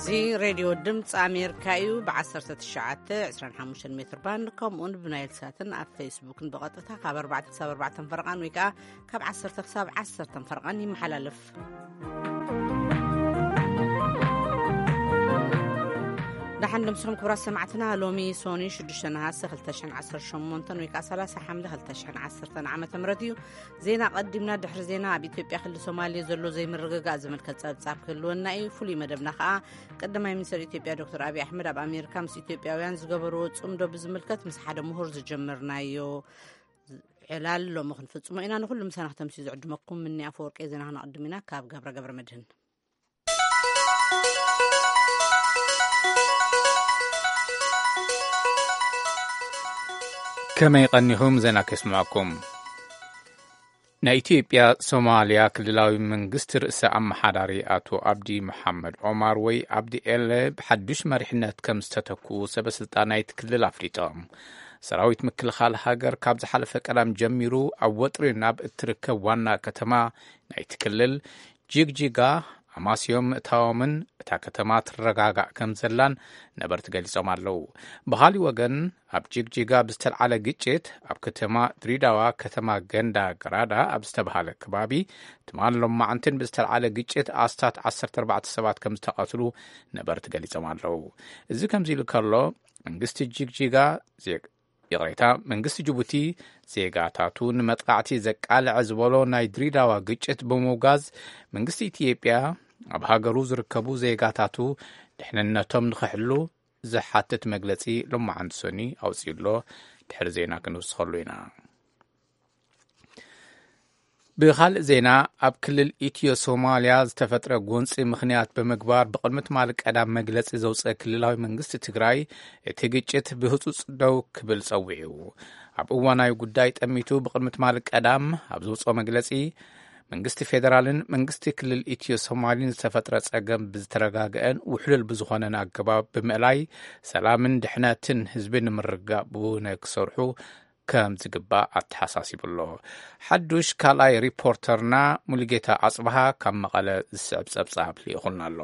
እዚ ሬድዮ ድምፂ ኣሜሪካ እዩ። ብ19፣ 25 ሜትር ባንድ ከምኡውን ብናይል ሳትን ኣብ ፌስቡክን ብቐጥታ ካብ ኣርባዕተ ክሳብ ኣርባዕተ ፈረቓን ወይ ከዓ ካብ ዓሰርተ ክሳብ ዓሰርተ ፈረቓን ይመሓላለፍ። ደሓን ደምስኹም ክቡራት ሰማዕትና። ሎሚ ሶኒ ሽዱሽተ ነሃሰ ክልተ ሽሕን ዓሰርተ ሸሞንተን ወይ ከዓ ሰላሳ ሓምለ ክልተ ሽሕን ዓሰርተን ዓመተ ምህረት እዩ። ዜና ቀዲምና። ድሕሪ ዜና ኣብ ኢትዮጵያ ክልል ሶማሌ ዘሎ ዘይምርግጋእ ዝምልከት ጸብጻብ ክህልወና እዩ። ፍሉይ መደብና ከዓ ቀዳማይ ሚኒስትር ኢትዮጵያ ዶክተር ኣብይ ኣሕመድ ኣብ ኣሜሪካ ምስ ኢትዮጵያውያን ዝገበርዎ ጽምዶ ብዝምልከት ምስ ሓደ ምሁር ዝጀመርናዮ ዕላል ሎሚ ክንፍጽሞ ኢና። ንኹሉ ምሳና ክተምስዩ ዝዕድመኩም ምኒ ኣፈወርቂ። ዜና ክነቕድም ኢና ካብ ገብረ ገብረ መድህን። ከመይ ቀኒኹም? ዜና ከስምዐኩም። ናይ ኢትዮጵያ ሶማልያ ክልላዊ መንግስቲ ርእሰ ኣመሓዳሪ ኣቶ ኣብዲ መሓመድ ኦማር ወይ ኣብዲ ኤለ ብሓዱሽ መሪሕነት ከም ዝተተክኡ ሰበ ስልጣን ናይቲ ክልል ኣፍሊጦም። ሰራዊት ምክልኻል ሃገር ካብ ዝሓለፈ ቀዳም ጀሚሩ ኣብ ወጥሪ ናብ እትርከብ ዋና ከተማ ናይቲ ክልል ጅግጅጋ ኣማስዮም ምእታዎምን እታ ከተማ ትረጋጋእ ከም ዘላን ነበርቲ ገሊጾም ኣለዉ። ብኻሊእ ወገን፣ ኣብ ጅግጅጋ ብዝተልዓለ ግጭት ኣብ ከተማ ድሪዳዋ፣ ከተማ ገንዳ ገራዳ ኣብ ዝተባሃለ ከባቢ ትማል ሎማዓንትን ብዝተልዓለ ግጭት ኣስታት ዓሰርተ ኣርባዕተ ሰባት ከም ዝተቐትሉ ነበርቲ ገሊጾም ኣለዉ። እዚ ከምዚ ኢሉ ከሎ፣ መንግስቲ ጅግጅጋ ዜ- ይቕሬታ፣ መንግስቲ ጅቡቲ ዜጋታቱ ንመጥቃዕቲ ዘቃልዐ ዝበሎ ናይ ድሪዳዋ ግጭት ብምውጋዝ፣ መንግስቲ ኢትዮጵያ ኣብ ሃገሩ ዝርከቡ ዜጋታቱ ድሕንነቶም ንኽሕሉ ዝሓትት መግለጺ ሎማዓንቲ ሰኒ ኣውጺኡ ኣሎ። ድሕሪ ዜና ክንውስኸሉ ኢና። ብኻልእ ዜና፣ ኣብ ክልል ኢትዮ ሶማልያ ዝተፈጥረ ጎንጺ ምኽንያት ብምግባር ብቕድሚ ትማሊ ቀዳም መግለጺ ዘውጸ ክልላዊ መንግስቲ ትግራይ፣ እቲ ግጭት ብህጹጽ ደው ክብል ጸዊዑ። ኣብ እዋናዊ ጉዳይ ጠሚቱ ብቕድሚ ትማሊ ቀዳም ኣብ ዘውጽኦ መግለጺ፣ መንግስቲ ፌደራልን መንግስቲ ክልል ኢትዮ ሶማልን ዝተፈጥረ ጸገም ብዝተረጋገአን ውሕሉል ብዝኾነን ኣገባብ ብምእላይ፣ ሰላምን ድሕነትን ህዝቢ ንምርግጋእ ብውነ ክሰርሑ ከም ዝግባእ ኣተሓሳሲቡ ኣሎ። ሓዱሽ ካልኣይ ሪፖርተርና ሙሉጌታ ኣጽብሃ ካብ መቐለ ዝስዕብ ጸብጻብ ልኢኹልና ኣሎ።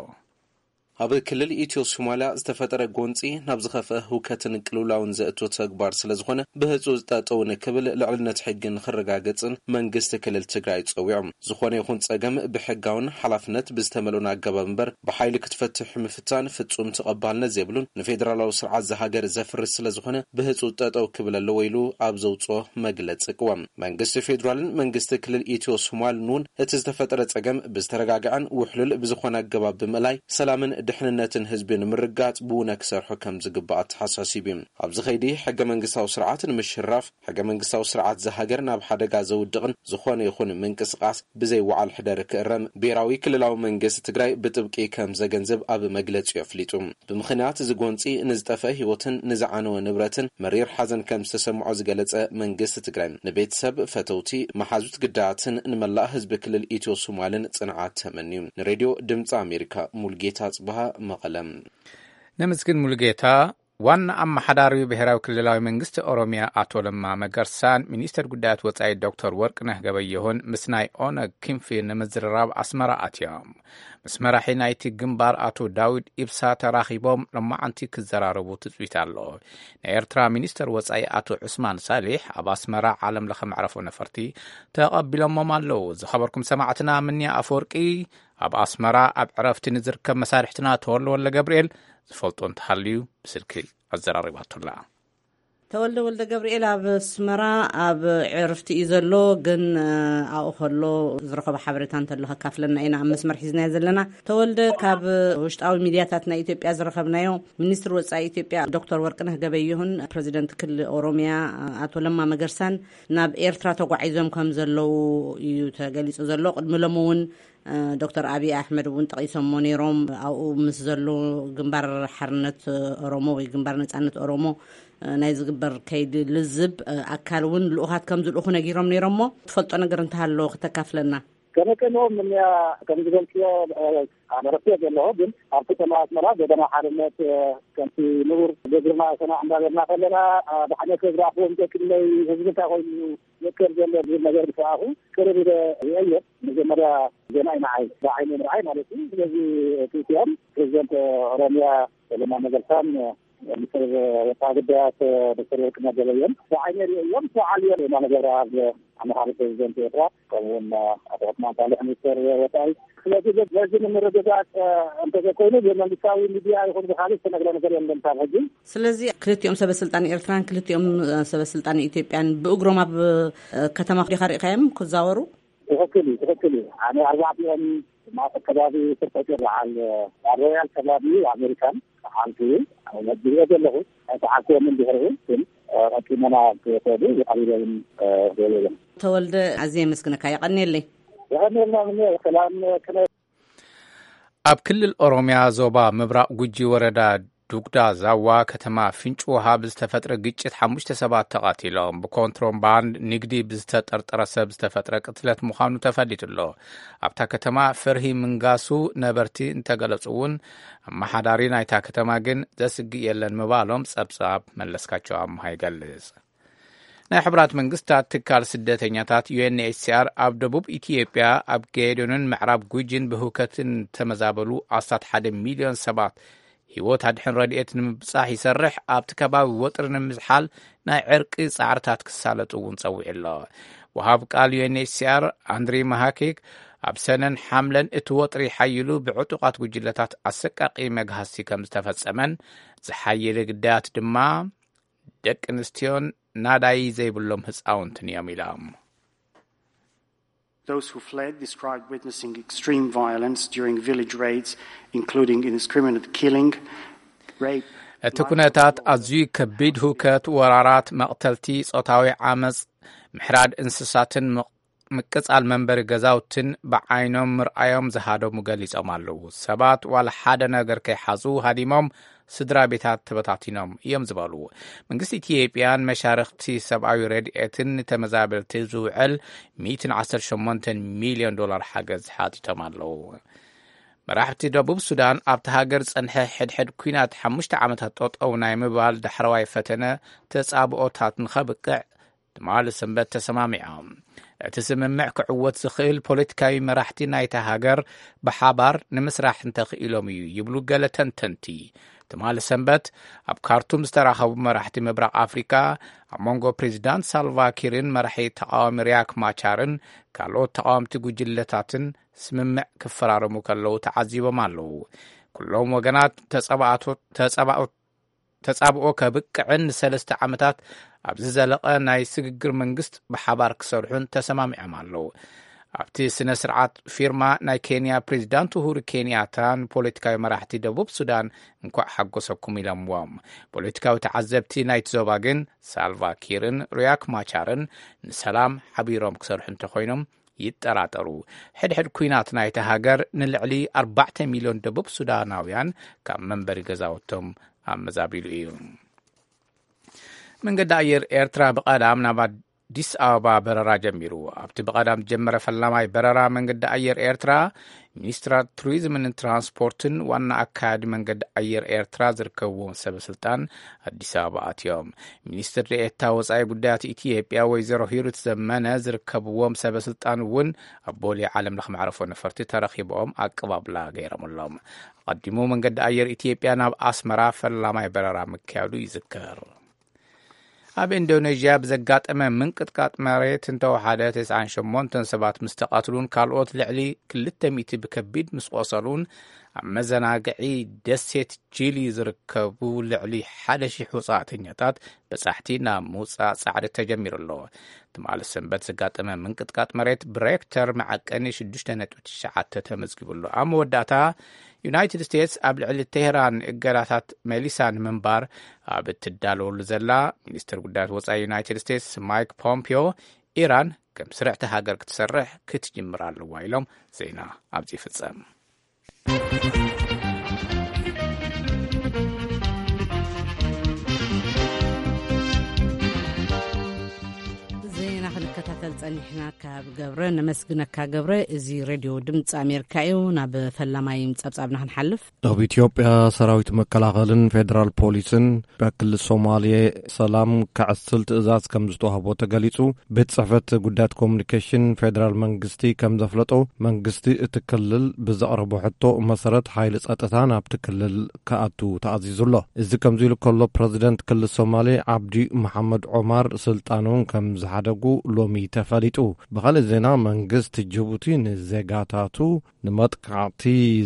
ኣብ ክልል ኢትዮ ሶማልያ ዝተፈጠረ ጎንጺ ናብ ዝኸፍአ ህውከትን ቅልውላውን ዘእቶ ተግባር ስለ ዝኾነ፣ ብህጹጽ ጠጠው ንክብል፣ ልዕልነት ሕጊ ንክረጋገጽን መንግስቲ ክልል ትግራይ ጸዊዖም። ዝኾነ ይኹን ጸገም ብሕጋውን ሓላፍነት ብዝተመልኦን ኣገባብ እምበር ብሓይሊ ክትፈትሕ ምፍታን ፍጹም ተቐባልነት ዘይብሉን ንፌደራላዊ ስርዓት ዝሃገር ዘፍርስ ስለ ዝኾነ፣ ብህጹጽ ጠጠው ክብል ኣለዎ ኢሉ ኣብ ዘውጽኦ መግለጺ ቅዋም። መንግስቲ ፌዴራልን መንግስቲ ክልል ኢትዮ ሶማልን እውን እቲ ዝተፈጠረ ጸገም ብዝተረጋግዐን ውሕሉል ብዝኾነ ኣገባብ ብምእላይ፣ ሰላምን ድሕንነትን ህዝቢ ንምርጋጽ ብውነ ክሰርሑ ከም ዝግባእ ኣተሓሳሲቡ እዩ። ኣብዚ ኸይዲ ሕገ መንግስታዊ ስርዓት ንምሽራፍ፣ ሕገ መንግስታዊ ስርዓት ዝሃገር ናብ ሓደጋ ዘውድቕን ዝኾነ ይኹን ምንቅስቓስ ብዘይ ወዓል ሕደር ክእረም ብሄራዊ ክልላዊ መንግስቲ ትግራይ ብጥብቂ ከም ዘገንዝብ ኣብ መግለጺኡ ኣፍሊጡ። ብምኽንያት እዚ ጎንጺ ንዝጠፍአ ህይወትን ንዝዓነወ ንብረትን መሪር ሓዘን ከም ዝተሰምዖ ዝገለጸ መንግስቲ ትግራይ፣ ንቤተሰብ፣ ፈተውቲ፣ መሓዙት ግዳያትን ንመላእ ህዝቢ ክልል ኢትዮ ሶማልን ጽንዓት ተመንዩ። ንሬድዮ ድምፂ ኣሜሪካ፣ ሙልጌታ ጽብሃ፣ መቐለ። ነመስግን ሙሉጌታ። ዋና ኣመሓዳሪ ብሔራዊ ክልላዊ መንግስቲ ኦሮሚያ ኣቶ ለማ መገርሳን ሚኒስትር ጉዳያት ወጻኢ ዶክተር ወርቅነህ ገበየሁን ምስ ናይ ኦነግ ክንፊ ንምዝርራብ ኣስመራ ኣትዮም። ምስ መራሒ ናይቲ ግንባር ኣቶ ዳዊድ ኢብሳ ተራኺቦም ሎማዓንቲ ክዘራረቡ ትጽቢት ኣሎ። ናይ ኤርትራ ሚኒስትር ወጻኢ ኣቶ ዑስማን ሳሊሕ ኣብ ኣስመራ ዓለም ለኸ መዕረፎ ነፈርቲ ተቐቢሎሞም ኣለዉ። ዝኸበርኩም ሰማዕትና፣ ምንያ ኣፈወርቂ ኣብ ኣስመራ ኣብ ዕረፍቲ ንዝርከብ መሳርሕትና ተወልደ ወልደ ገብርኤል ዝፈልጦ እንተሃልዩ ብስልኪ ኣዘራሪባቶላ። ተወልደ ወልደ ገብርኤል ኣብ ኣስመራ ኣብ ዕርፍቲ እዩ ዘሎ፣ ግን ኣብኡ ከሎ ዝረኸቦ ሓበሬታ እንተሎ ከካፍለና ኢና ኣብ መስመር ሒዝናዮ ዘለና። ተወልደ፣ ካብ ውሽጣዊ ሚድያታት ናይ ኢትዮጵያ ዝረኸብናዮ፣ ሚኒስትር ወጻኢ ኢትዮጵያ ዶክተር ወርቅነህ ገበየሁን ፕሬዚደንት ክልል ኦሮሚያ ኣቶ ለማ መገርሳን ናብ ኤርትራ ተጓዒዞም ከም ዘለዉ እዩ ተገሊጹ ዘሎ። ቅድሚ ሎሚ እውን ዶክተር ኣብይ ኣሕመድ እውን ጠቒሶሞ ነይሮም። ኣብኡ ምስ ዘሎ ግንባር ሓርነት ኦሮሞ ወይ ግንባር ነጻነት ኦሮሞ ናይ ዝግበር ከይዲ ልዝብ ኣካል እውን ልኡኻት ከም ዝልእኹ ነጊሮም ነይሮሞ። ትፈልጦ ነገር እንተሃሎ ክተካፍለና። ከመይ ከመኦም እኒኣ ከም ዝበልክዮ፣ እ፣ ኣመረክዮ ዘለኹ፣ ግን ኣብ ከተማ ኣስመራ ጎደና ሓርነት፣ እ፣ ከምቲ ንቡር ብእግርና ሰና እንዳበልና ከለና፣ እ፣ ብዓይነት ዝረኣኽዎም ክንደይ ህዝቢ እንታይ ኮይኑ ይእከብ ዘሎ ዝብል ነገር ብሰኣኹ ቅርብ ኢለ ርእየዮ። መጀመርያ ዜና እዩ ንዓይ፣ ብዓይኒ ምርኣይ ማለት እዩ። ስለዚ እቲ እቲኦም ፕሬዚደንት ኦሮሚያ ለማ መገርሳን ሚኒስትር ወፃኢ ጉዳያት ዶክተር ወርቅነህ ገበየሁን ብዓይኒ ርእየዮም። ሰዓል እዮም የማነ ገብረኣብ ኣማኻሪ ፕሬዚደንት ኤርትራ፣ ከምኡውን ኣቶ ዑስማን ሳልሕ ሚኒስትር ወፃኢ። ስለዚ በዚ ንምርግጋፅ እንተዘይኮይኑ ብመንግስታዊ ሚድያ ይኹን ብካሊእ ዝተነግረ ነገር የለን ካብ ሕጂ። ስለዚ ክልቲኦም ሰበ ስልጣን ኤርትራን ክልቲኦም ሰበ ስልጣን ኢትዮጵያን ብእግሮም ኣብ ከተማ ዲኻ ርኢኻዮም ክዛወሩ? ትኽክል እዩ፣ ትኽክል እዩ። ኣነ ኣርባዕቲኦም ማእከል ከባቢ ስርቆት ይረዓል ኣብ ሮያል ከባቢ ኣሜሪካን ተዓልኩ እዩ። ነግሬ ዘለኹ ኣይተዓልኩዎምን ድሕሪኡ ግን ቀቂመና ክወሰዱ ዝቀሪበ እውን የለን። ተወልደ ኣዝየ የመስግነካ፣ የቐንየለይ። የቐንየልና ምነ ሰላም ክነ ኣብ ክልል ኦሮሚያ ዞባ ምብራቕ ጉጂ ወረዳ ዱጉዳ ዛዋ ከተማ ፍንጭ ውሃ ብዝተፈጥረ ግጭት ሓሙሽተ ሰባት ተቐቲሎም። ብኮንትሮባንድ ንግዲ ብዝተጠርጠረ ሰብ ዝተፈጥረ ቅትለት ምዃኑ ተፈሊጡ ኣሎ። ኣብታ ከተማ ፍርሂ ምንጋሱ ነበርቲ እንተገለጹ እውን ኣመሓዳሪ ናይታ ከተማ ግን ዘስግእ የለን ምባሎም ጸብጻብ መለስካቸው ኣምሃ ይገልጽ። ናይ ሕቡራት መንግስታት ትካል ስደተኛታት ዩ ኤን ኤች ሲ ኣር ኣብ ደቡብ ኢትዮጵያ ኣብ ጌዶንን ምዕራብ ጉጂን ብህውከትን ተመዛበሉ ኣስታት ሓደ ሚልዮን ሰባት ህይወት ኣድሕን ረድኤት ንምብጻሕ ይሰርሕ፣ ኣብቲ ከባቢ ወጥሪ ንምዝሓል ናይ ዕርቂ ጻዕርታት ክሳለጡ እውን ጸዊዑ ኣሎ። ወሃብ ቃል ዩ ኤን ኤች ሲ ኣር ኣንድሪ ማሃኪክ ኣብ ሰነን ሓምለን እቲ ወጥሪ ሓይሉ ብዕጡቓት ጉጅለታት ኣሰቃቂ መግሃስቲ ከም ዝተፈጸመን ዝሓየለ ግዳያት ድማ ደቂ ኣንስትዮን ናዳይ ዘይብሎም ህፃውንትን እዮም ኢሎም። Those who fled described witnessing extreme violence during village raids, including indiscriminate killing, rape. እቲ ኩነታት ኣዝዩ ከቢድ ህውከት፣ ወራራት፣ መቕተልቲ፣ ጾታዊ ዓመፅ፣ ምሕራድ እንስሳትን ምቕ- ምቅጻል መንበሪ ገዛውትን ብዓይኖም ምርኣዮም ዝሃደሙ ገሊጾም ኣለዉ። ሰባት ዋላ ሓደ ነገር ከይሓዙ ሃዲሞም ስድራ ቤታት ተበታቲኖም እዮም ዝበሉ መንግስቲ ኢትዮጵያን መሻርኽቲ ሰብኣዊ ረድኤትን ንተመዛበልቲ ዝውዕል ሚእትን ዓሰርተ ሸሞንተን ሚልዮን ዶላር ሓገዝ ሓቲቶም ኣለዉ። መራሕቲ ደቡብ ሱዳን ኣብቲ ሃገር ዝጸንሐ ሕድሕድ ኲናት ሓሙሽተ ዓመታት ጠጠው ናይ ምባል ዳሕረዋይ ፈተነ ተጻብኦታት ንኸብቅዕ ትማሊ ሰንበት ተሰማሚዖም። እቲ ስምምዕ ክዕወት ዝኽእል ፖለቲካዊ መራሕቲ ናይታ ሃገር ብሓባር ንምስራሕ እንተኽኢሎም እዩ ይብሉ ገለ ተንተንቲ። ትማሊ ሰንበት ኣብ ካርቱም ዝተራኸቡ መራሕቲ ምብራቕ ኣፍሪካ ኣብ መንጎ ፕሬዚዳንት ሳልቫ ኪርን መራሒ ተቃዋሚ ሪያክ ማቻርን ካልኦት ተቃወምቲ ጉጅለታትን ስምምዕ ክፈራረሙ ከለዉ ተዓዚቦም ኣለዉ። ኩሎም ወገናት ተጸባእቶ- ተጸባኦ- ተጻብኦ ከብቅዕን ንሰለስተ ዓመታት ኣብ ዝዘለቐ ናይ ስግግር መንግስት ብሓባር ክሰርሑን ተሰማሚዖም ኣለዉ። ኣብቲ ስነ ስርዓት ፊርማ ናይ ኬንያ ፕሬዚዳንት ኡሁሩ ኬንያታን ፖለቲካዊ መራሕቲ ደቡብ ሱዳን እንኳዕ ሓጎሰኩም ኢሎምዎም። ፖለቲካዊ ተዓዘብቲ ናይቲ ዞባ ግን ሳልቫ ኪርን ሪያክ ማቻርን ንሰላም ሓቢሮም ክሰርሑ እንተኾይኖም ይጠራጠሩ። ሕድሕድ ኲናት ናይቲ ሃገር ንልዕሊ ኣርባዕተ ሚልዮን ደቡብ ሱዳናውያን ካብ መንበሪ ገዛውቶም ኣመዛቢሉ እዩ። መንገዲ ኣየር ኤርትራ ብቐዳም ናብ ኣዲስ ኣበባ በረራ ጀሚሩ። ኣብቲ ብቐዳም ዝጀመረ ፈላማይ በረራ መንገዲ ኣየር ኤርትራ፣ ሚኒስትራት ቱሪዝምን ትራንስፖርትን ዋና ኣካያዲ መንገዲ ኣየር ኤርትራ ዝርከብዎም ሰበ ስልጣን ኣዲስ ኣበባ ኣትዮም። ሚኒስትር ዴኤታ ወጻኢ ጉዳያት ኢትዮጵያ ወይዘሮ ሂሩት ዘመነ ዝርከብዎም ሰበ ስልጣን እውን ኣብ ቦሌ ዓለም ለኸ መዕረፎ ነፈርቲ ተረኺቦም ኣቀባብላ ገይሮምሎም። ኣቐዲሙ መንገዲ ኣየር ኢትዮጵያ ናብ ኣስመራ ፈላማይ በረራ ምክያዱ ይዝከር። ኣብ ኢንዶኔዥያ ብዘጋጠመ ምንቅጥቃጥ መሬት እንተወሓደ ተስዓን ሸሞንተን ሰባት ምስ ተቐትሉን ካልኦት ልዕሊ ክልተ ሚእቲ ብከቢድ ምስ ቆሰሉን ኣብ መዘናግዒ ደሴት ጂሊ ዝርከቡ ልዕሊ ሓደ ሺሕ ወጻእተኛታት በጻሕቲ ናብ ምውጻእ ጻዕሪ ተጀሚሩ ኣሎ። ትማሊ ሰንበት ዘጋጠመ ምንቅጥቃጥ መሬት ብሬክተር መዓቀኒ ሽዱሽተ ነጥቢ ትሽዓተ ተመዝጊቡ ኣሎ። ኣብ መወዳእታ ዩናይትድ ስቴትስ ኣብ ልዕሊ ቴህራን እገዳታት መሊሳ ንምንባር ኣብ እትዳለወሉ ዘላ፣ ሚኒስትር ጉዳያት ወጻኢ ዩናይትድ ስቴትስ ማይክ ፖምፒዮ ኢራን ከም ስርዕቲ ሃገር ክትሰርሕ ክትጅምር ኣለዋ ኢሎም። ዜና ኣብዚ ይፍጸም። ዜና ክንከታተል ጸኒሕና ካብ ገብረ ነመስግነካ። ገብረ፣ እዚ ሬድዮ ድምፂ ኣሜሪካ እዩ። ናብ ፈላማይ ጸብጻብና ክንሓልፍ። ኣብ ኢትዮጵያ ሰራዊት መከላኸልን ፌዴራል ፖሊስን ኣብ ክልል ሶማሌ ሰላም ከዕስል ትእዛዝ ከም ዝተዋህቦ ተገሊጹ። ቤት ጽሕፈት ጉዳያት ኮሚኒኬሽን ፌዴራል መንግስቲ ከም ዘፍለጦ፣ መንግስቲ እቲ ክልል ብዘቕረቦ ሕቶ መሰረት ሓይሊ ጸጥታ ናብቲ ክልል ክኣቱ ተኣዚዙ ኣሎ። እዚ ከምዚ ኢሉ ከሎ፣ ፕረዚደንት ክልል ሶማሌ ዓብዲ መሓመድ ዑማር ስልጣኖም ከም ዝሓደጉ ሎሚ ተፈሊጡ። ብኻልእ ዜና፣ መንግስቲ ጅቡቲ ንዜጋታቱ ንመጥቃዕቲ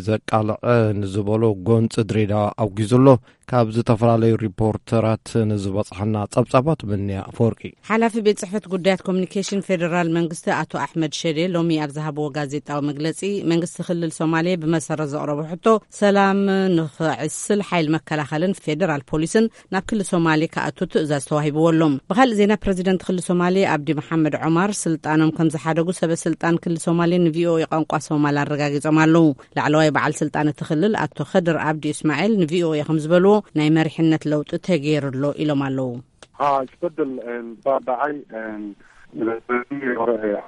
ዘቃልዐ ንዝበሎ ጎንፂ ድሬዳዋ ኣውጊዙ ኣሎ። ካብ ዝተፈላለዩ ሪፖርተራት ንዝበፅሐና ጸብጻባት፣ ብንያ ኣፈወርቂ። ሓላፊ ቤት ጽሕፈት ጉዳያት ኮሚኒኬሽን ፌዴራል መንግስቲ ኣቶ ኣሕመድ ሸዴ ሎሚ ኣብ ዝሃብዎ ጋዜጣዊ መግለጺ፣ መንግስቲ ክልል ሶማሌ ብመሰረት ዘቕረቦ ሕቶ፣ ሰላም ንኽዕስል ሓይል መከላኸልን ፌዴራል ፖሊስን ናብ ክልል ሶማሌ ክኣቱ ትእዛዝ ተዋሂብዎ ኣሎ። ብኻልእ ዜና፣ ፕረዚደንት ክልል ሶማሌ ኣብዲ መሓመድ ዑማር ስልጣኖም ከም ዝሓደጉ ሰበ ስልጣን ክልል ሶማሌ ንቪኦኤ ቋንቋ ሶማል ኣረጋጊጾም ኣለዉ። ላዕለዋይ በዓል ስልጣን እቲ ክልል ኣቶ ኸድር ኣብዲ እስማኤል ንቪኦኤ ከም ዝበልዎ፣ ናይ መሪሕነት ለውጢ ተገይሩ ኣሎ ኢሎም ኣለዉ። ها، isbeddel, een, baa dhacay, een, milatari hore ee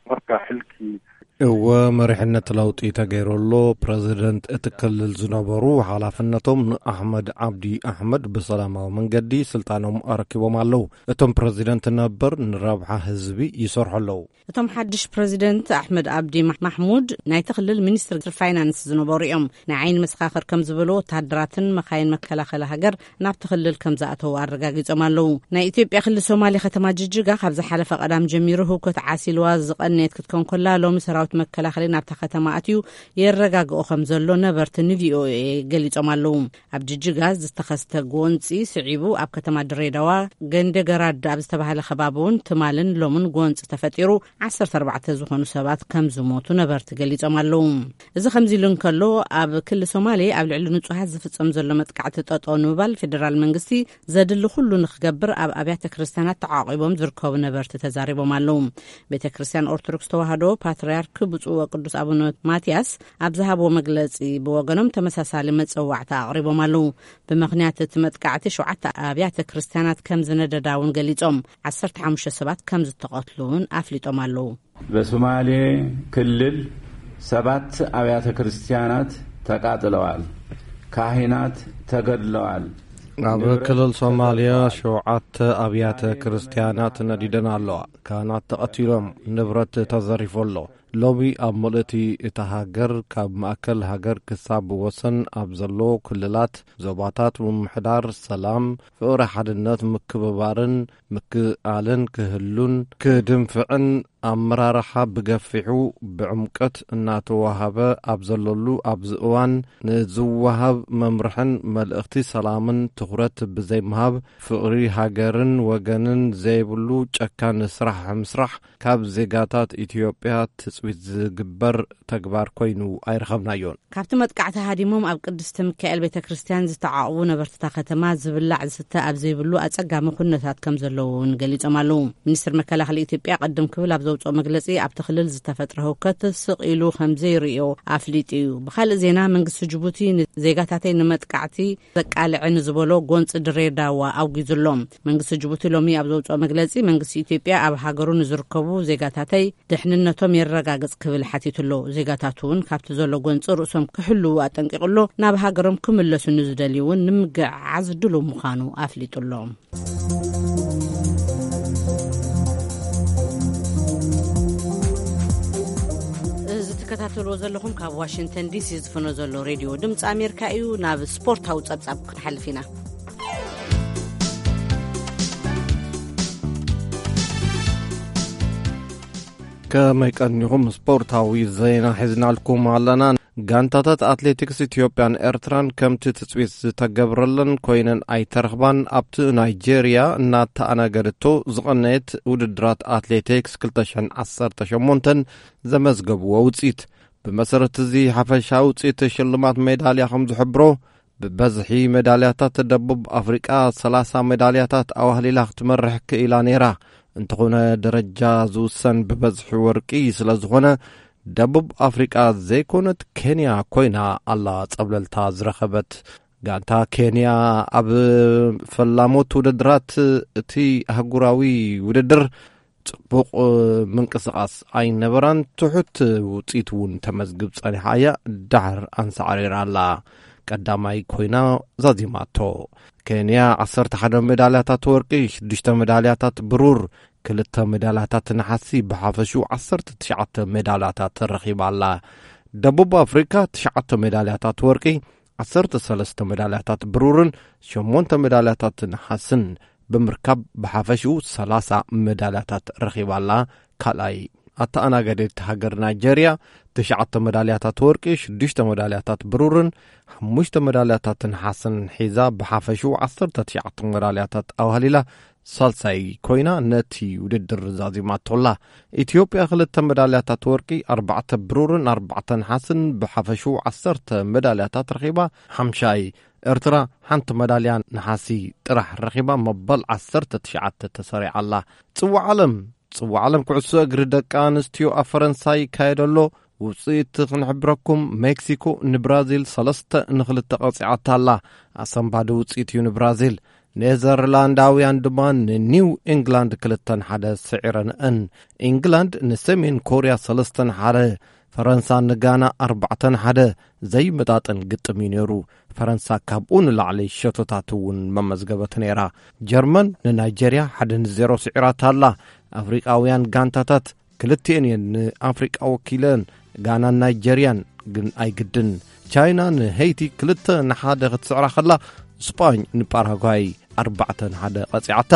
marka xilkii እወ፣ መሪሕነት ለውጢ ተገይሩ ኣሎ። ፕረዚደንት እቲ ክልል ዝነበሩ ሓላፍነቶም ንኣሕመድ ዓብዲ ኣሕመድ ብሰላማዊ መንገዲ ስልጣኖም ኣረኪቦም ኣለዉ። እቶም ፕረዚደንት ነበር ንረብሓ ህዝቢ ይሰርሑ ኣለዉ። እቶም ሓድሽ ፕረዚደንት ኣሕመድ ኣብዲ ማሕ-፣ ማሕሙድ ናይቲ ክልል ሚኒስትር ፋይናንስ ዝነበሩ እዮም። ናይ ዓይኒ መሰኻኽር ከም ዝበሉ፣ ወታደራትን መኻይን መከላኸሊ ሃገር ናብቲ ክልል ከም ዝኣተዉ ኣረጋጊጾም ኣለዉ። ናይ ኢትዮጵያ ክልል ሶማሌ ከተማ ጅጅጋ ካብ ዝሓለፈ ቀዳም ጀሚሩ ህውከት ዓሲልዋ ዝቐነየት ክትከውን ከላ፣ ሎሚ ሰራዊት መከላኸሊ ናብታ ከተማ ኣትዩ የረጋግኦ ከም ዘሎ ነበርቲ ንቪኦኤ ገሊጾም ኣለዉ። ኣብ ጅጅጋ ዝተኸስተ ጎንጺ ስዒቡ፣ ኣብ ከተማ ድሬዳዋ ገንደ ገራድ ኣብ ዝተባህለ ከባቢ እውን ትማልን ሎምን ጎንጺ ተፈጢሩ፣ ዓሰርተ ኣርባዕተ ዝኾኑ ሰባት ከም ዝሞቱ ነበርቲ ገሊጾም ኣለዉ። እዚ ከምዚ ኢሉ እንከሎ፣ ኣብ ክሊ ሶማሌ ኣብ ልዕሊ ንጹሃት ዝፍጸም ዘሎ መጥቃዕቲ ጠጠው ንምባል ፌደራል መንግስቲ ዘድሊ ኩሉ ንክገብር ኣብ ኣብያተ ክርስቲያናት ተዓቂቦም ዝርከቡ ነበርቲ ተዛሪቦም ኣለዉ። ቤተ ክርስቲያን ኦርቶዶክስ ተዋህዶ ፓትርያርክ ብፁዕ ወቅዱስ ኣቡነ ማትያስ ኣብ ዝሃብዎ መግለጺ፣ ብወገኖም ተመሳሳሊ መጸዋዕታ ኣቕሪቦም ኣለዉ። ብምኽንያት እቲ መጥቃዕቲ ሸውዓተ ኣብያተ ክርስቲያናት ከም ዝነደዳ እውን ገሊጾም፣ ዓሰርተ ሓሙሽተ ሰባት ከም ዝተቐትሉ እውን ኣፍሊጦም ኣለዉ። በሶማሌ ክልል ሰባት ኣብያተ ክርስቲያናት ተቃጥለዋል፣ ካህናት ተገድለዋል። ኣብ ንብረት ክልል ሶማልያ ተዘርፈዋል። ሸውዓተ ኣብያተ ክርስቲያናት ነዲደን ኣለዋ። ካህናት ተቐቲሎም፣ ንብረት ተዘሪፉ ኣሎ። ሎሚ ኣብ ምልእቲ እታ ሃገር፣ ካብ ማእከል ሃገር ክሳብ ወሰን ኣብ ዘሎ ክልላት፣ ዞባታት፣ ምምሕዳር ሰላም፣ ፍቕሪ፣ ሓድነት፣ ምክብባርን ምክእኣልን ክህሉን ክድንፍዕን፣ ኣመራርሓ ብገፊሑ ብዕምቀት እናተዋሃበ ኣብ ዘለሉ ኣብዚ እዋን፣ ንዝወሃብ መምርሕን መልእኽቲ ሰላምን ትኹረት ብዘይምሃብ፣ ፍቕሪ ሃገርን ወገንን ዘይብሉ ጨካን ስራሕ ምስራሕ ካብ ዜጋታት ኢትዮጵያ ትጽቢት ዝግበር ተግባር ኮይኑ ኣይረኸብናዮን። ካብቲ መጥቃዕቲ ሃዲሞም ኣብ ቅድስቲ ሚካኤል ቤተ ክርስቲያን ዝተዓቑቡ ነበርትታ ከተማ፣ ዝብላዕ ዝስተ ኣብ ዘይብሉ ኣጸጋሚ ኩነታት ከም ዘለዉ እውን ገሊጾም ኣለዉ። ሚኒስትር መከላኸሊ ኢትዮጵያ ቅድም ክብል ኣብ ዘውጽኦ መግለጺ፣ ኣብቲ ክልል ዝተፈጥረ ህውከት ስቕ ኢሉ ከም ዘይርእዮ ኣፍሊጡ እዩ። ብኻልእ ዜና፣ መንግስቲ ጅቡቲ ንዜጋታተይ ንመጥቃዕቲ ዘቃልዐ ንዝበሎ ጎንፂ ድሬዳዋ ኣውጊዙ ኣሎ። መንግስቲ ጅቡቲ ሎሚ ኣብ ዘውፅኦ መግለፂ፣ መንግስቲ ኢትዮጵያ ኣብ ሃገሩ ንዝርከቡ ዜጋታተይ ድሕንነቶም የረጋግፅ ክብል ሓቲቱ ኣሎ። ዜጋታቱ እውን ካብቲ ዘሎ ጎንፂ ርእሶም ክሕልዉ ኣጠንቂቑ ኣሎ። ናብ ሃገሮም ክምለሱ ንዝደልዩ እውን ንምግዕዓዝ ድሉው ምዃኑ ኣፍሊጡ ኣሎ። እዚ ትከታተልዎ ዘለኹም ካብ ዋሽንግተን ዲሲ ዝፍኖ ዘሎ ሬድዮ ድምፂ ኣሜሪካ እዩ። ናብ ስፖርታዊ ጸብጻብ ክንሓልፍ ኢና። ከመይ ቀኒኹም? ስፖርታዊ ዜና ሒዝናልኩም ኣለና። ጋንታታት ኣትሌቲክስ ኢትዮጵያን ኤርትራን ከምቲ ትጽቢት ዝተገብረለን ኮይነን ኣይተረኽባን። ኣብቲ ናይጄርያ እናተኣናገደቶ ዝቐነየት ውድድራት ኣትሌቲክስ ክልተ ሽሕን ዓሰርተ ሸሞንተን ዘመዝገብዎ ውጽኢት። ብመሰረት እዚ ሓፈሻዊ ውጽኢት ሽልማት ሜዳልያ ከም ዝሕብሮ፣ ብበዝሒ ሜዳልያታት ደቡብ ኣፍሪቃ ሰላሳ ሜዳልያታት ኣዋህሊላ ክትመርሕ ክኢላ ነይራ። እንተኾነ፣ ደረጃ ዝውሰን ብበዝሒ ወርቂ ስለ ዝኾነ፣ ደቡብ ኣፍሪቃ ዘይኮነት ኬንያ ኮይና ኣላ ጸብለልታ ዝረኸበት። ጋንታ ኬንያ ኣብ ፈላሞት ውድድራት እቲ ኣህጉራዊ ውድድር ጽቡቕ ምንቅስቓስ ኣይነበራን። ትሑት ውጽኢት እውን ተመዝግብ ጸኒሓ እያ፣ ድሓር ኣንሳዕሪራ ኣላ። ቀዳማይ ኮይና ዛዚማቶ። ኬንያ ዓሰርተ ሓደ ሜዳልያታት ወርቂ፣ ሽዱሽተ ሜዳልያታት ብሩር፣ ክልተ ሜዳልያታት ነሓሲ፣ ብሓፈሽኡ ዓሰርተ ትሽዓተ ሜዳልያታት ረኺባ ኣላ። ደቡብ ኣፍሪካ ትሽዓተ ሜዳልያታት ወርቂ፣ ዓሰርተ ሰለስተ ሜዳልያታት ብሩርን ሸሞንተ ሜዳልያታት ነሓስን ብምርካብ ብሓፈሽኡ ሰላሳ ሜዳልያታት ረኺባ ኣላ። ካልኣይ ኣተኣናጋዲት ሃገር ናይጀርያ ትሽዓተ ሜዳልያታት ወርቂ፣ ሽዱሽተ ሜዳልያታት ብሩርን ሓሙሽተ ሜዳልያታት ነሓስን ሒዛ ብሓፈሽኡ ዓሰርተ ትሽዓተ ሜዳልያታት ኣዋህሊላ ሳልሳይ ኮይና ነቲ ውድድር ዛዚማቶላ። ኢትዮጵያ ክልተ ሜዳልያታት ወርቂ፣ ኣርባዕተ ብሩርን ኣርባዕተ ነሓስን ብሓፈሽኡ ዓሰርተ ሜዳልያታት ረኺባ ሓምሻይ። ኤርትራ ሓንቲ መዳልያ ነሓሲ ጥራሕ ረኺባ መበል ዓሰርተ ትሽዓተ ተሰሪዓ ኣላ። ጽዋዕ ዓለም፣ ጽዋዕ ዓለም ኩዕሶ እግሪ ደቂ ኣንስትዮ ኣብ ፈረንሳይ ይካየድ ኣሎ። ውጽኢት ክንሕብረኩም፣ ሜክሲኮ ንብራዚል ሰለስተ ንክልተ ቀጺዓታ ኣላ። ኣሰንባዲ ውጽኢት እዩ ንብራዚል። ኔዘርላንዳውያን ድማ ንኒው ኢንግላንድ ክልተ ንሓደ ስዒረንአን። ኢንግላንድ ንሰሜን ኮርያ ሰለስተ ንሓደ፣ ፈረንሳ ንጋና ኣርባዕተ ንሓደ ዘይመጣጠን ግጥም እዩ ነይሩ። ፈረንሳ ካብኡ ንላዕሊ ሸቶታት እውን መመዝገበት ነይራ። ጀርመን ንናይጀርያ ሓደ ንዜሮ ስዒራታ ኣላ። ኣፍሪቃውያን ጋንታታት ክልቲኤን እየን ንኣፍሪቃ ወኪለን፣ ጋናን ናይጀርያን ግን ኣይግድን። ቻይና ንሄይቲ ክልተ ንሓደ ክትስዕራ ከላ፣ ስጳኝ ንፓራጓይ ኣርባዕተ ንሓደ ቀጺዓታ።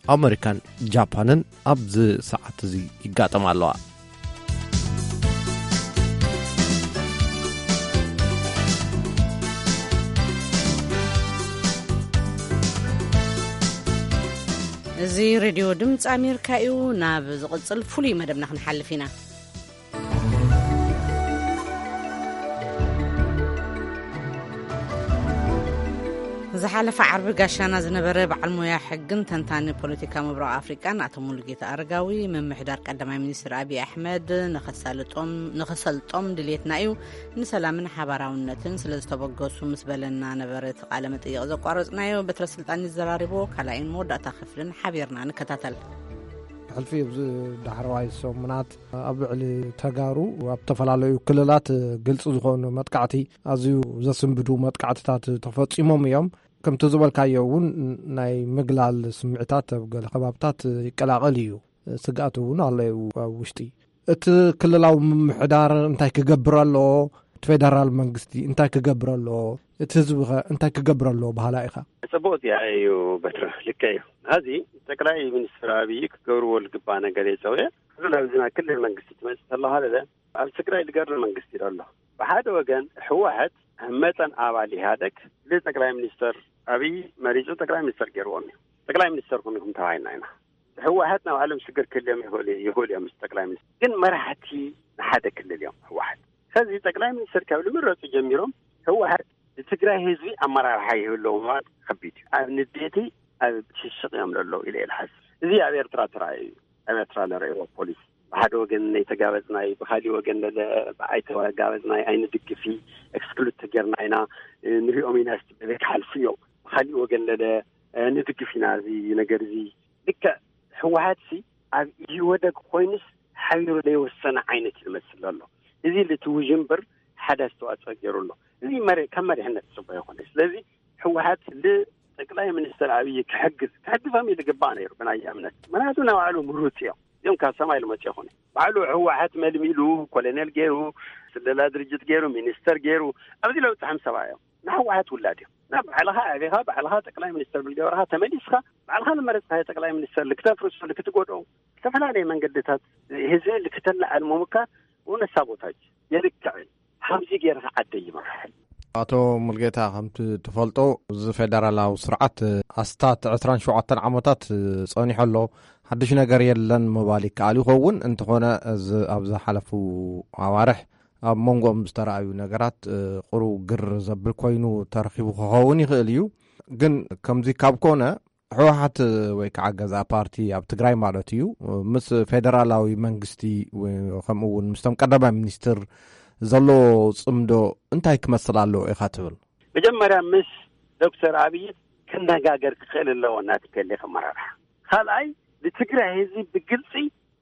ኣመሪካን ጃፓንን ኣብዚ ሰዓት እዚ ይጋጠማ ኣለዋ። እዚ ሬድዮ ድምፂ ኣሜሪካ እዩ። ናብ ዝቕጽል ፍሉይ መደብና ክንሓልፍ ኢና። ዝሓለፈ ዓርቢ ጋሻና ዝነበረ በዓል ሞያ ሕግን ተንታኒ ፖለቲካ ምብራቕ ኣፍሪቃን ኣቶ ሙሉጌታ ኣረጋዊ፣ ምምሕዳር ቀዳማይ ሚኒስትር ኣብይ ኣሕመድ ንኸሳልጦም፣ ንኸሰልጦም ድልየትና እዩ፣ ንሰላምን ሓባራውነትን ስለ ዝተበገሱ ምስ በለና ነበረ እቲ ቃለ መጠይቕ ዘቋረጽናዮ። በትረ ስልጣን ይዘራርቦ ካልኣይን መወዳእታ ክፍልን ሓቢርና ንከታተል። ሕልፊ ኣብዚ ዳሕረዋይ ሰሙናት ኣብ ልዕሊ ተጋሩ ኣብ ዝተፈላለዩ ክልላት ግልፂ ዝኾኑ መጥቃዕቲ፣ ኣዝዩ ዘስንብዱ መጥቃዕትታት ተፈፂሞም እዮም። ከምቲ ዝበልካዮ እውን ናይ ምግላል ስምዒታት ኣብ ገለ ከባብታት ይቀላቐል እዩ። ስግኣት እውን ኣሎ ኣብ ውሽጢ። እቲ ክልላዊ ምምሕዳር እንታይ ክገብር ኣለዎ? እቲ ፌደራል መንግስቲ እንታይ ክገብር ኣለዎ? እቲ ህዝቢ ኸ እንታይ ክገብር ኣለዎ በሃላይ ኢኻ? ጽቡቕ ጥያቄ እዩ በትረ፣ ልክዕ እዩ። ሕዚ ጠቅላይ ሚኒስትር ኣብይ ክገብርዎ ዝግባእ ነገር እየ ጸዊዐ። ሕዚ ናብዚ ናይ ክልል መንግስቲ ትመጽእ ከለኻ ለለ ኣብ ትግራይ ዝገርም መንግስቲ ኣሎ። ብሓደ ወገን ህወሓት ኣብ መጠን ኣባል ኢህኣደግ ንጠቅላይ ሚኒስትር ኣብይ መሪጹ ጠቅላይ ሚኒስትር ገይርዎም እዩ። ጠቅላይ ሚኒስትር ኩንኩም ተባሂልና ኢና። ህወሓት ናይ ባዕሎም ሽግር ክህልዮም ይኽእሉ፣ ይኽእሉ እዮም ምስ ጠቅላይ ሚኒስትር። ግን መራሕቲ ንሓደ ክልል እዮም ህወሓት። ስለዚ ጠቅላይ ሚኒስትር ካብ ዝምረጹ ጀሚሮም ህወሓት ንትግራይ ህዝቢ ኣመራርሓ ይህልዎ ምባል ከቢድ እዩ። ኣብ ንዴቲ ኣብ ሽሽቕ እዮም ዘለዉ ኢለ እየ ዝሓስብ። እዚ ኣብ ኤርትራ ተራእዩ እዩ። ኣብ ኤርትራ ንርእይዎ ፖሊሲ ብሓደ ወገን ነይተጋበጽናይ፣ ብኻሊእ ወገን ለለ ብኣይተጋበጽናይ ኣይንድግፊ፣ ኤክስክሉድ ተጌርና ኢና፣ ንሪኦም ኢና ስ-፣ ክሓልፉ እዮም። ብኻሊእ ወገን ለለ ንድግፍ ኢና እዚ ነገር እዚ። ልክዕ ህወሓት ሲ ኣብ ኢህወደግ ኮይኑስ ሓቢሩ ዘይወሰነ ዓይነት እዩ ዝመስል ዘሎ። እዚ ልቲ ውዥንብር ሓደ ኣስተዋፅኦ ገይሩ ኣሎ። እዚ መሪ-፣ ካብ መሪሕነት ዝፅበ ይኾነ። ስለዚ ህወሓት ንጠቅላይ ሚኒስትር ኣብይ ክሕግዝ፣ ክሕግዞም እዩ ዝግባእ ነይሩ ብናይ እምነት። ምክንያቱ ናይ ባዕሉ ምሩፅ እዮም። እዚኦም ካብ ሰማይ ዝመፁ ይኾነ። ባዕሉ ህወሓት መልሚሉ፣ ኮሎኔል ገይሩ፣ ስለላ ድርጅት ገይሩ፣ ሚኒስተር ገይሩ፣ ኣብዚ ለውፅሖም ሰባ እዮም። ንህወሓት ውላድ እዮም። ና ባዕልኻ ኣቢኻ፣ ባዕልኻ ጠቅላይ ሚኒስተር ብልገበርኻ ተመሊስካ፣ ባዕልኻ ዝመረፅካዮ ጠቅላይ ሚኒስተር ልክተፍርሶ፣ ልክትጎድኦ፣ ዝተፈላለየ መንገድታት ህዝቢ ልክተለዓል ምሙካር እውን ሳቦታጅ የልክዕን ሓምዚ ገይርኻ ዓደ ይመርሕን። ኣቶ ሙልጌታ፣ ከምቲ ትፈልጦ፣ እዚ ፌደራላዊ ስርዓት ኣስታት ዕስራን ሸውዓተን ዓመታት ጸኒሑ ኣሎ። ሓድሽ ነገር የለን ምባል ይከኣል ይኸውን። እንተኾነ፣ እዚ ኣብ ዝሓለፉ ኣዋርሕ ኣብ መንጎኦም ዝተረኣዩ ነገራት፣ እ፣ ቁሩብ ግር ዘብል ኮይኑ ተረኺቡ ክኸውን ይኽእል እዩ። ግን ከምዚ ካብ ኮነ፣ ህወሓት ወይ ከዓ ገዛእ ፓርቲ ኣብ ትግራይ ማለት እዩ፣ ምስ ፌደራላዊ መንግስቲ ወይ ከምኡ እውን ምስቶም ቀዳማይ ሚኒስትር ዘሎ ጽምዶ እንታይ ክመስል ኣለዎ ኢኻ ትብል? መጀመርያ ምስ ዶክተር ኣብይ ክነጋገር ክኽእል ኣለዎ፣ ናቲ ከሌ ከመራርሓ። ካልኣይ፣ ንትግራይ ህዝቢ ብግልፂ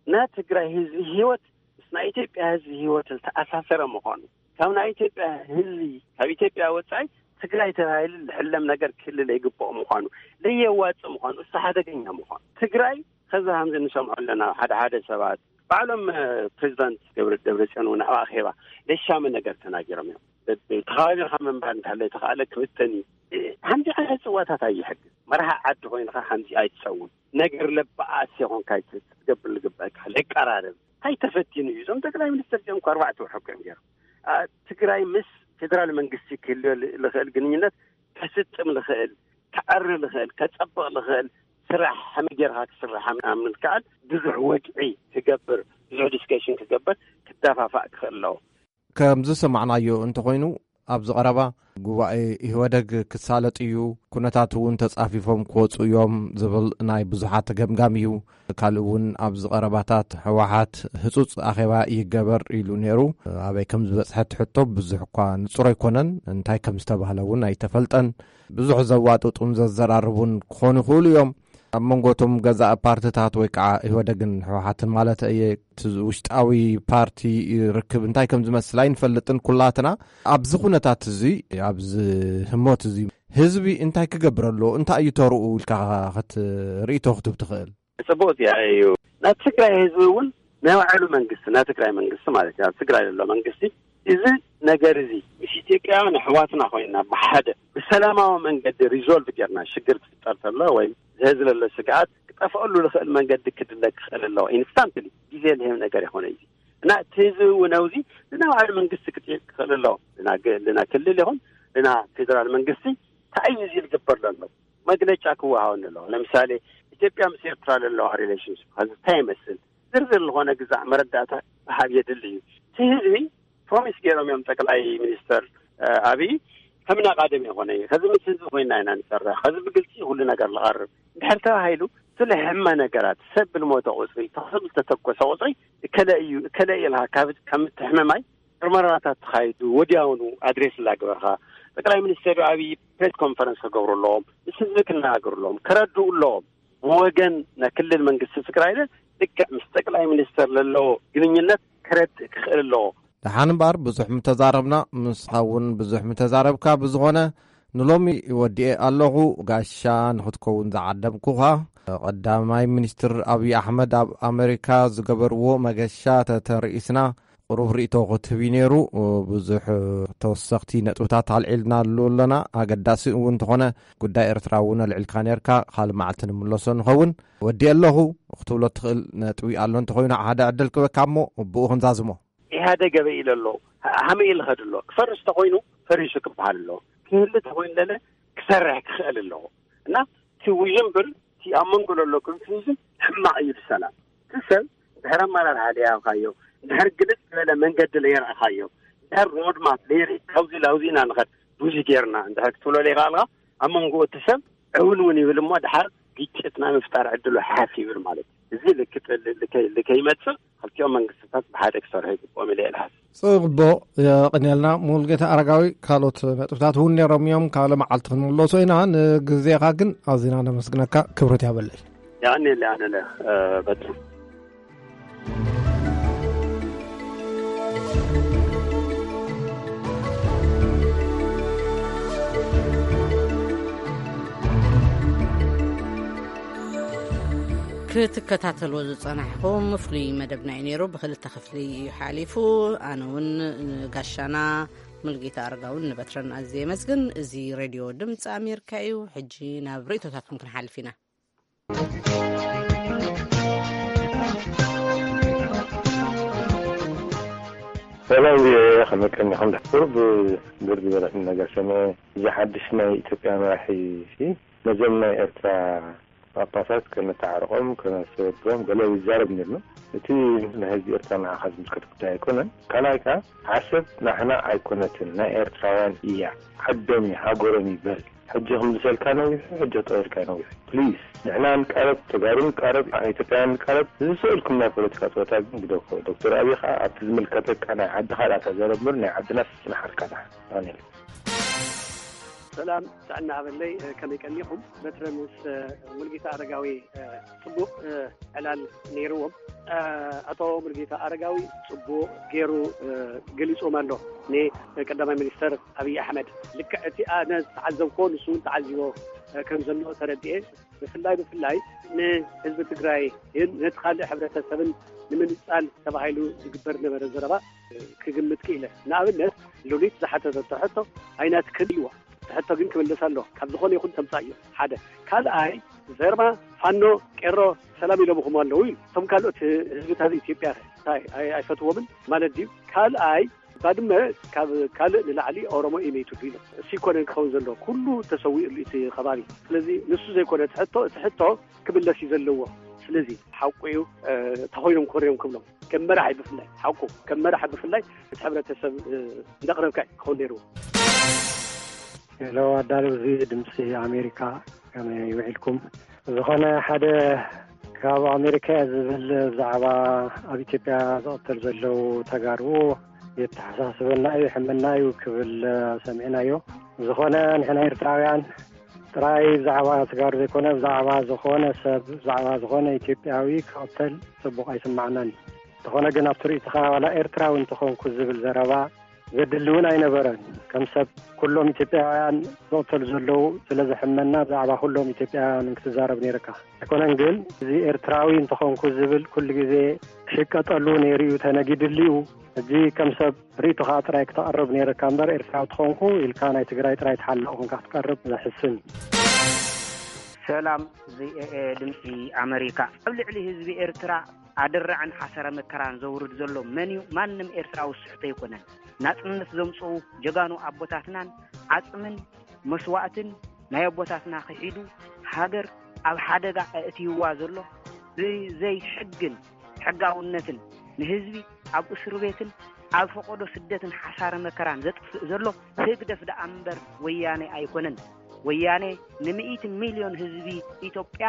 ናይ ትግራይ ህዝቢ ህይወት ምስ ናይ ኢትዮጵያ ህዝቢ ህይወት ዝተኣሳሰረ ምዃኑ፣ ካብ ናይ ኢትዮጵያ ህዝቢ፣ ካብ ኢትዮጵያ ወፃኢ ትግራይ ተባሂሉ ዝሕለም ነገር ክህሉ ዘይግብኦ ምዃኑ፣ ዘየዋፅእ ምዃኑ፣ እሱ ሓደገኛ ምዃኑ፣ ትግራይ ከዚ ከምዚ ንሰምዖ ኣለና። ሓደ ሓደ ሰባት ባዕሎም ፕሬዚዳንት ገብረ ደብረፅዮን እውን ኣብ ኣኼባ ለሻሚ ነገር ተናጊሮም እዮም። ተኸባቢርካ ምንባር እንተሃለ ተኸኣለ ክብተን እዩ። ሓንቲ ዓይነት ፅዋታት ኣይሕግዝ። መርሃ ዓዲ ኮይንካ ሓንቲ ኣይትፀውም። ነገር ለባኣስ የኾንካ ክትገብር ዝግበእካ ለቀራረብ እንታይ ተፈቲኑ እዩ? እዞም ጠቅላይ ሚኒስትር እዚኦም እኮ ኣርባዕተ ወርሒ እኮ እዮም ገይሮም። ትግራይ ምስ ፌዴራል መንግስቲ ክህልዮ ልኽእል ግንኙነት ከስጥም ልኽእል፣ ከዕሪ ልኽእል፣ ከፀብቕ ልኽእል ስራሕ ከመይ ጌርካ ክስራሕ ምክኣል ብዙሕ ወግዒ ክገብር፣ ብዙሕ ዲስከሽን ክገብር፣ ክደፋፋእ ክኽእል ኣለዎ። ከም ዝሰማዕናዮ እንተኾይኑ፣ ኣብዚ ቀረባ ጉባኤ ኢህወደግ ክሳለጥ እዩ፣ ኩነታት እውን ተጻፊፎም ክወፁ እዮም ዝብል ናይ ብዙሓት ገምጋም እዩ። ካልእ እውን ኣብዚ ቀረባታት ህወሓት ህጹጽ ኣኼባ ይገበር ኢሉ ነይሩ። ኣበይ ከም ዝበጽሐት ሕቶ ብዙሕ እኳ ንጹር ኣይኮነን። እንታይ ከም ዝተባህለ እውን ኣይተፈልጠን። ብዙሕ ዘዋጥጡን ዘዘራርቡን ክኾኑ ይኽእሉ እዮም። ኣብ መንጎ እቶም ገዛእ ፓርትታት ወይ ከዓ ኢህወደግን ህወሓትን ማለት እየ፣ እቲ ውሽጣዊ ፓርቲ ርክብ እንታይ ከም ዝመስል ኣይንፈልጥን ኩላትና። ኣብዚ ኩነታት እዚ፣ ኣብዚ ህሞት እዚ ህዝቢ እንታይ ክገብር ኣለዎ? እንታይ እዩ ተርኡ ኢልካ ክትርእይቶ ክትብ ትኽእል? ጽቡቕ ጥያቄ እዩ። ናይ ትግራይ ህዝቢ እውን ናይ ባዕሉ መንግስቲ፣ ናይ ትግራይ መንግስቲ ማለት እዩ፣ ኣብ ትግራይ ዘሎ መንግስቲ፣ እዚ ነገር እዚ ምስ ኢትዮጵያውያን ኣሕዋትና ኮይና ብሓደ ብሰላማዊ መንገዲ ሪዞልቭ ጌርና ሽግር ክፍጠር ተሎ ወይ ዝህዝለሎ ስግኣት ክጠፍኣሉ ዝኽእል መንገዲ ክድለ ክኽእል ኣለዎ። ኢንስታንትሊ ግዜ ዝህብ ነገር ይኾነ እዩ። እና እቲ ህዝቢ እውን ኣብዚ ንናይ ባዕሉ መንግስቲ ክጥይቅ ክኽእል ኣለዎ። ልና ክልል ይኹን ልና ፌደራል መንግስቲ እንታይ እዩ እዚ ዝግበር ዘሎ? መግለጫ ክወሃበኒ ኣለዎ። ለምሳሌ ኢትዮጵያ ምስ ኤርትራ ዘለዋ ሪሌሽንሽፕ ኸዚ እንታይ ይመስል? ዝርዝር ዝኾነ ግዛዕ መረዳእታ ምሃብ የድሊ እዩ። እቲ ህዝቢ ፕሮሚስ ገይሮም እዮም ጠቅላይ ሚኒስተር ኣብይ ከምና ቃደም የኾነ እዩ። ኸዚ ምስ ህዝቢ ኮይና ኢና ንሰርሕ። ኸዚ ብግልፂ ኩሉ ነገር ዝቐርብ እንድሕር ተባሂሉ፣ ስለ ሕመ ነገራት ሰብ ብልሞተ ቁፅሪ ተኽስብ ዝተተኮሰ ቁፅሪ እከለ እዩ እከለ እየ ኢልካ ካብ ከምትሕምማይ ምርመራታት ተኻይዱ ወዲያውኑ ኣድሬስ ላግበርካ ጠቅላይ ሚኒስተር ኣብይ ፕሬስ ኮንፈረንስ ክገብሩ ኣለዎም። ምስ ህዝቢ ክነጋገሩ ኣለዎም። ክረድኡ ኣለዎም። ብወገን ናይ ክልል መንግስቲ ትግራይ ልክዕ ምስ ጠቅላይ ሚኒስተር ለለዎ ግንኙነት ክረድእ ክኽእል ኣለዎ። ደሓን እምበኣር ብዙሕ ምተዛረብና፣ ንስኻ እውን ብዙሕ ምተዛረብካ። ብዝኾነ ንሎሚ ወዲኤ ኣለኹ። ጋሻ ንኽትከውን ዝዓደምኩኻ ቀዳማይ ሚኒስትር ኣብዪ ኣሕመድ ኣብ ኣሜሪካ ዝገበርዎ መገሻ ተተርኢስና ቁሩብ ርእቶ ክትህብ እዩ ነይሩ። ብዙሕ ተወሰኽቲ ነጥብታት ኣልዒልናሉ ኣለና። ኣገዳሲ እውን እንተኾነ ጉዳይ ኤርትራ እውን ኣልዒልካ ነርካ። ካልእ መዓልቲ ንምለሶ ንኸውን። ወዲኤ ኣለኹ ክትብሎ ትኽእል ነጥቢ ኣሎ እንተኾይኑ ሓደ ዕድል ክበካ እሞ ብኡ ክንዛዝሞ። ኢህኣደግ ኣበይ ኢለ ኣሎ? ሃመይ ኢለ ኸድ ኣሎ? ክፈርስ ተኾይኑ ፈሪሱ ክበሃል ኣሎ። ክህሊ ተኾይኑ ለለ ክሰርሕ ክኽእል ኣለዎ። እና እቲ ውዥንብር እቲ ኣብ መንጎ ዘሎ ኮንፊውዥን ሕማቕ እዩ ንሰላም። እቲ ሰብ ድሕሪ ኣመራርሓ ለያውካዮ፣ ድሕሪ ግልጽ ዝበለ መንገዲ ለየርኣኻዮ፣ ድሕሪ ሮድማፕ ለየርኢ ካብዚ ላውዚ ኢና ንኸድ ብዙ ጌርና እንድሕር ክትብሎ ለይኸኣልካ ኣብ መንጎ እቲ ሰብ ዕውንውን ይብል እሞ ድሓር ግጭት ናይ ምፍጣር ዕድሉ ሓፍ ይብል ማለት እዩ። እዚ ልክጥ- ልከይ- ልከይመጽእ ክልቲኦም መንግስትታት ብሓደ ክሰርሑ ይግብኦም ኢለ እየ ዝሓስብ። ጽቡቕ፣ የቐንየልና ሙሉጌታ ኣረጋዊ። ካልኦት ነጥብታት እውን ነይሮም እዮም፣ ካልእ መዓልቲ ክንምለሶ ኢና። ንግዜኻ ግን ኣዚና ነመስግነካ፣ ክብረት ያበለይ። የቐንየለይ ኣነለ በትሩ። ክትከታተልዎ ዝጸናሕኹም ፍሉይ መደብና እዩ ነይሩ። ብኽልተ ክፍሊ እዩ ሓሊፉ። ኣነ እውን ንጋሻና ሙሉጌታ ኣረጋውን ንበትረን ኣዝየ የመስግን። እዚ ሬድዮ ድምፂ ኣሜሪካ እዩ። ሕጂ ናብ ርእይቶታትኩም ክንሓልፍ ኢና። ሰላም ቪኦኤ፣ ከመይ ቀኒኹም? ቁሩብ ግር ዝበለኒ ነገር ሰሚዐ። እዚ ሓድሽ ናይ ኢትዮጵያ መራሒ ሲ ነዞም ናይ ኤርትራ ጳጳሳት ከነተዓርቖም፣ ከነስተባብሮም ገለ ይዛረብ ነይሩ። እቲ ንህዝቢ ኤርትራ ንዓኻ ዝምልከት ጉዳይ ኣይኮነን። ካልኣይ ከኣ ዓሰብ ናሕና ኣይኮነትን፣ ናይ ኤርትራውያን እያ። ዓዶም እዩ፣ ሃገሮም ይበል። ሕጂ ክምልሰልካ ነዊሑ፣ ሕጂ ክጠወልካ ነዊሑ። ፕሊዝ፣ ንሕና ንቃረብ፣ ተጋሩ ንቃረብ፣ ኢትዮጵያውያን ንቃረብ። ዝሰእልኩም ናይ ፖለቲካ ጸወታ ግን ግደፎ። ዶክተር ኣብይ ከኣ ኣብቲ ዝምልከተካ ናይ ዓድኻ ደኣ ተዛረብ እምበር ናይ ዓድናስ ጽናሓልካ ደሓን። ኣሜን። ሰላም ጥዕና ሃበለይ። ከመይ ቀኒኹም? በትረ ምስ ሙልጌታ ኣረጋዊ ጽቡቕ ዕላል ነይርዎም። ኣቶ ሙልጌታ ኣረጋዊ ጽቡቕ ገይሩ ገሊጽዎም ኣሎ። ንቀዳማይ ሚኒስተር ኣብይ ኣሕመድ ልክዕ እቲ ኣነ ዝተዓዘብኮ ንሱ እውን ተዓዚቦ ከም ዘሎ ተረድኤ። ብፍላይ ብፍላይ ንህዝቢ ትግራይ ግን ነቲ ካልእ ሕብረተሰብን ንምንጻል ተባሂሉ ዝግበር ነበረ ዘረባ ክግምት ክኢለ። ንኣብነት ሉሊት ዝሓተተቶ ሕቶ ኣይናትክን ኢልዋ። እቲ ሕቶ ግን ክምለስ ኣሎ። ካብ ዝኾነ ይኹን ተምጻእ እዩ። ሓደ። ካልኣይ ዘርማ ፋኖ ቄሮ ሰላም ኢሎምኹም ኣለዉ እዩ። እቶም ካልኦት ህዝብታት ኢትዮጵያ እንታይ ኣይ- ኣይፈትዎምን ማለት ድዩ? ካልኣይ ባድመ ካብ ካልእ ንላዕሊ ኦሮሞ እዩ መይቱ ኢሎም። እሱ ይኮነን ክኸውን ዘሎ ኩሉ ተሰዊኡ እቲ ከባቢ። ስለዚ ንሱ ዘይኮነ እቲ ሕቶ እቲ ሕቶ ክምለስ እዩ ዘለዎ። ስለዚ ሓቁ እዩ። ተኮይኖም ኮርዮም ክብሎም ከም መራሒ ብፍላይ ሓቁ ከም መራሒ ብፍላይ እቲ ሕብረተሰብ እንዳቅረብካ ክኸውን ነይርዎ። ሄሎ ኣዳለውዚ ድምፂ ኣሜሪካ፣ ከመይ ውዒልኩም? ዝኾነ ሓደ ካብ ኣሜሪካ እየ ዝብል ብዛዕባ ኣብ ኢትዮጵያ ዝቕተል ዘለዉ ተጋሩ የተሓሳስበና እዩ፣ ይሕመና እዩ ክብል ሰሚዕናዮ። ዝኾነ ንሕና ኤርትራውያን ጥራይ ብዛዕባ ተጋሩ ዘይኮነ ብዛዕባ ዝኾነ ሰብ ብዛዕባ ዝኾነ ኢትዮጵያዊ ክቕተል ጽቡቕ ኣይስማዓናን እዩ። እንተኾነ ግን ኣብቲ ርእይቶኻ ዋላ ኤርትራዊ እንተኾንኩ ዝብል ዘረባ ዘድሊ እውን ኣይነበረን። ከም ሰብ ኩሎም ኢትዮጵያውያን ዝቕተሉ ዘለዉ ስለ ዘሕመና ብዛዕባ ኩሎም ኢትዮጵያውያን ክትዛረብ ነይርካ። ኣይኮነን ግን እዚ ኤርትራዊ እንተኾንኩ ዝብል ኩሉ ግዜ ክሽቀጠሉ ነይሩ እዩ፣ ተነጊድሉ እዩ። ሕጂ ከም ሰብ ርእይቶኻ ጥራይ ክተቕርብ ነይርካ እምበር ኤርትራዊ ተኾንኩ ኢልካ ናይ ትግራይ ጥራይ ተሓላቕ ኮንካ ክትቀርብ ዘሕስን። ሰላም፣ እዚ ኤ ኤ ድምፂ ኣመሪካ። ኣብ ልዕሊ ህዝቢ ኤርትራ ኣደራዕን ሓሰረ መከራን ዘውርድ ዘሎ መን እዩ? ማንም ኤርትራዊ ስሕቶ ኣይኮነን። ናጽነት ዘምጽኡ ጀጋኑ ኣቦታትናን ዓጽምን መስዋእትን ናይ ኣቦታትና ክሒዱ ሃገር ኣብ ሓደጋ ኣእትይዋ ዘሎ ብዘይ ሕግን ሕጋውነትን ንህዝቢ ኣብ እስር ቤትን ኣብ ፈቐዶ ስደትን ሓሳረ መከራን ዘጥፍእ ዘሎ ህግደፍ ደኣ እምበር ወያኔ ኣይኮነን። ወያኔ ንሚእቲ ሚልዮን ህዝቢ ኢትዮጵያ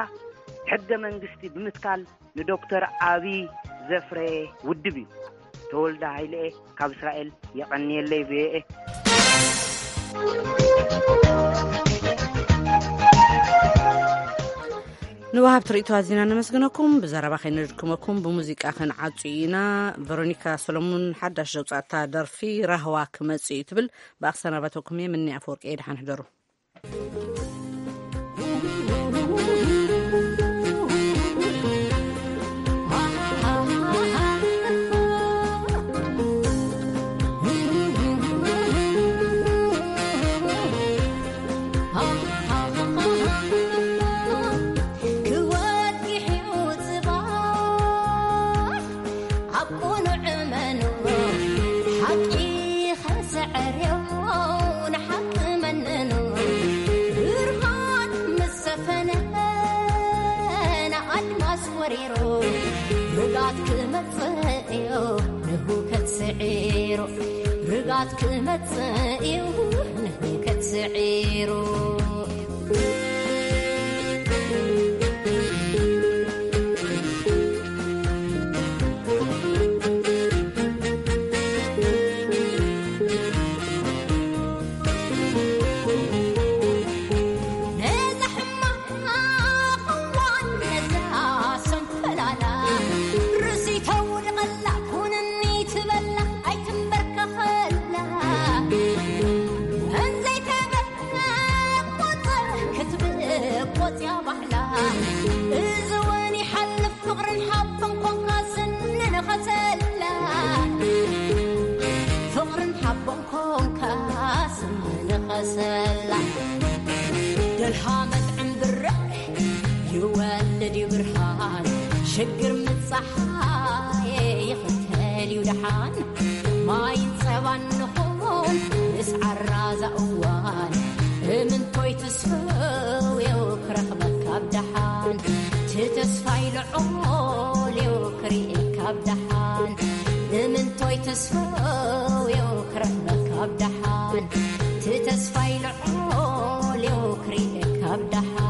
ሕገ መንግስቲ ብምትካል ንዶክተር ኣብይ ዘፍረየ ውድብ እዩ። ተወልደ ሃይለኤ ካብ እስራኤል የቐንየለይ ብኤኤ። ንወሃብቲ ርእይቶ ኣዚና ነመስግነኩም። ብዘረባ ከይንድክመኩም ብሙዚቃ ክንዓጹ ኢና። ቨሮኒካ ሰሎሙን ሓዳሽ ዘውጻእታ ደርፊ ራህዋ ክመጽእ እዩ ትብል። ብኣኽሰናበተኩም እየ። ምኒ ኣፈወርቂ እየ። ደሓን ሕደሩ። ክወግሕ እዩ ጽባሕ ኣብ ቅኑዕ እመኑ፣ ሓቂ ከሰዕርዮ ንሓቂ መነኑ። ብርሃን ምስ ሰፈነ ንኣድማስ ወሪሩ፣ ርግኣት ክመጽእ እዩ ንህውከት ስዒሩ። ርግኣት ክመጽእ እዩ ንህውከት ስዒሩ። ነዛ ሕማቕ እዋን ነዛ ሰንፈላላ ርእሲ ተውድቐላ ኩንኒ ትበላ ኣይትንበርከኸላ። እንዘይተበቆጸ ክትብቆጽ እያ ባህላ። እዚ እውን ይሓልፍ ፍቕርን ሓቦን ኮንካ ስንንኸሰላ። ፍቕርን ሓቦን ኮንካ ስንንኸሰላ። ደልሃ መጥዕም ብርዕ ይወልድ እዩ ብርሃን። ሽግር ምጻሓይ ይኽተል እዩ ደሓን። ማይን ጸባን ንኹን ምስ ዓራዛ እዋን። እምንቶይ ትስፍው እዩ ክረኽበካ ኣብ ደሓን። ትተስፋይ ልዑል እዩ ክርእየካ ኣብ ደሓን። እምንቶይ ትስፍው እዩ ክረኽበካ ኣብ ደሓን። ትተስፋይ ልዑል እዩ ክርእየካ ኣብ ደሓን።